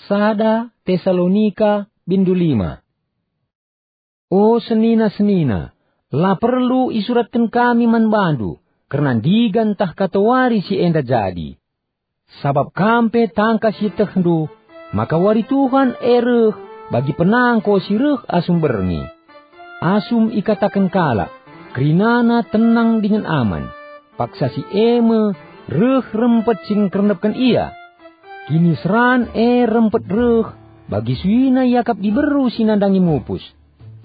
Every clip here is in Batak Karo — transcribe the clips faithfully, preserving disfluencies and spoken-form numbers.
Sada Tesalonika bindu lima. O senina-senina, la perlu isuratken kami man bandu kerna ndigan ntah katawari si enda jadi. Sabap kam pe tangkas ietehndu maka wari Tuhan e reh bagi penangko si reh asum berngi. Asum ikataken kalak, "Kerinana tenang dingen aman," paksa si e me reh rempet si ngkernepken ia. Kiniseran e rempet reh bagi suina iakap diberu si nandangi mupus,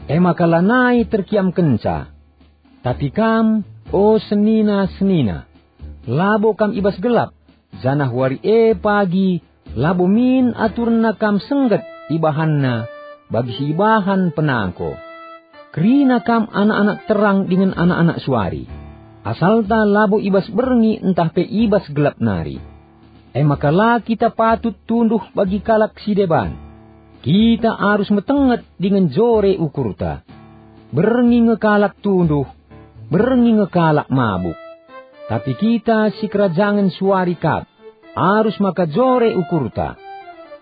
e maka lanai terkiamkenca. Tapi kam, o senina-senina, labo kam i bas gelap, janah wari e pagi labo min aturna kam sengget ibahanna bagi si ibahan penangko. Kerina kam anak-anak terang dingen anak-anak suari, asalta labo i bas berngi ntah pe i bas gelap nari. E maka la kita patut tunduh bagi kalak si deban. Kita arus metenget dingen jore ukurta. Berngi nge kalak tunduh, berngi nge kalak mabuk. Tapi kita si kerajangen suari kap, arus maka jore ukurta.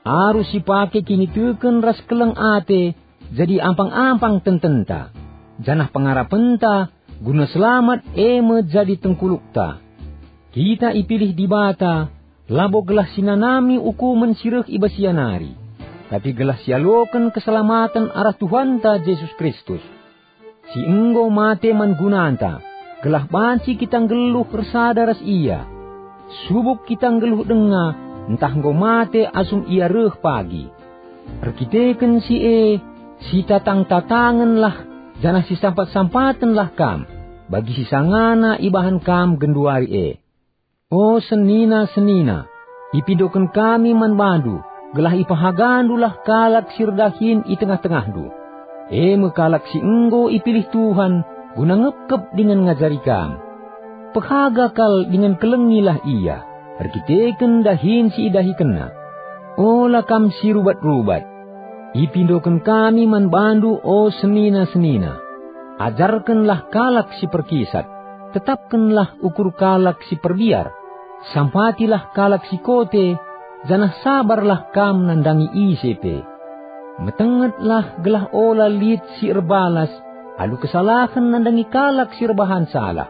Arus sipake kiniteken ras keleng ate jadi ampang-ampang tententa, janah pengarapenta guna selamat e me jadi tengkulukta. Kita ipilih Dibata labo gelah sinanami ukumen si reh i bas ia nari, tapi gelah sialoken keselamaten arah Tuhanta Jesus Kristus, si enggo mate man gunanta, gelah banci kita nggeluh ersada ras Ia. Subuk kita nggeluh denga ntah enggo mate asum Ia reh pagi. Erkiteken si e, sitatang-tatangenlah janah sisampat-sampatenlah kam bagi si sangana ibahan kam genduari e. O senina-senina, ipindoken kami man bandu, gelah ipehagandulah kalak si erdahin i tengah-tengahndu, e me kalak si enggo ipilih Tuhan guna ngepkep dingen ngajari kam. Pehaga kal dingen kelengilah ia erkiteken dahin si idahikenna. Ola kam si rubat-rubat. Ipindoken kami man bandu, o senina-senina. Ajarkenlah kalak si perkisat, tetapkenlah ukur kalak si perbiar, sampatilah kalak si kote, janah sabarlah kam nandangi ise pe. Metengetlah gelah ola lit si erbalas alu kesalahen nandangi kalak si erbahan salah,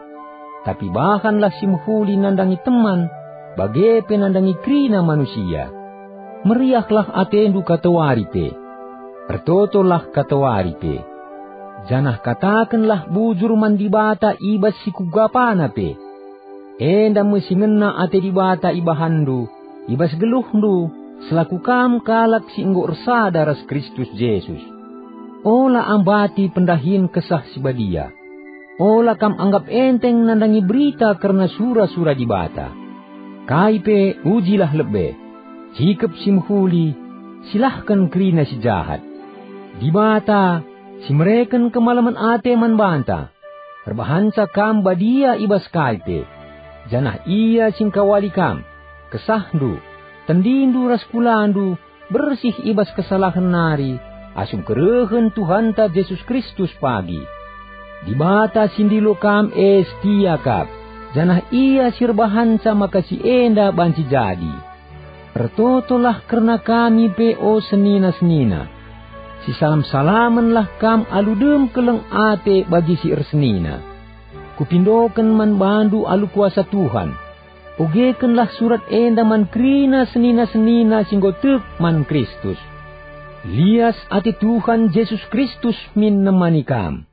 tapi bahanlah si mehuli nandangi teman, bage pe nandangi kerina manusia. Meriahlah atendu katawari pe. Ertotolah katawari pe. Janah katakenlah bujur man Dibata i bas si kuga pana pe. Enda me si ngena ate Dibata ibahanndu, i bas geluhndu, selaku kam kalak si enggo ersada ras Kristus Jesus. Ola ambati pendahin Kesah Si Badia. Ola kam anggap enteng nandangi berita kerna sura-sura Dibata. Kai pe ujilah lebe, cikep si mehuli, silahken kerina si jahat. Dibata, si mereken kemalemen ate man banta, erbahanca kam badia i bas kai pe, janah Ia si ngkawali kam, kesahndu, tendindu ras kulandu, bersih i bas kesalahen nari, asum kerehen Tuhanta Jesus Kristus pagi. Dibata si ndilo kam e setia kap, janah Ia si erbahanca maka si enda banci jadi. Ertotolah kerna kami pe, o senina-senina. Sisalam-salamenlah kam alu dem keleng ate bagi si ersenina. Kupindoken man bandu alu kuasa Tuhan. Ogekenlah surat enda man kerina senina-senina si enggo tek man Kristus. Lias ate Tuhan Jesus Kristus min nemani kam.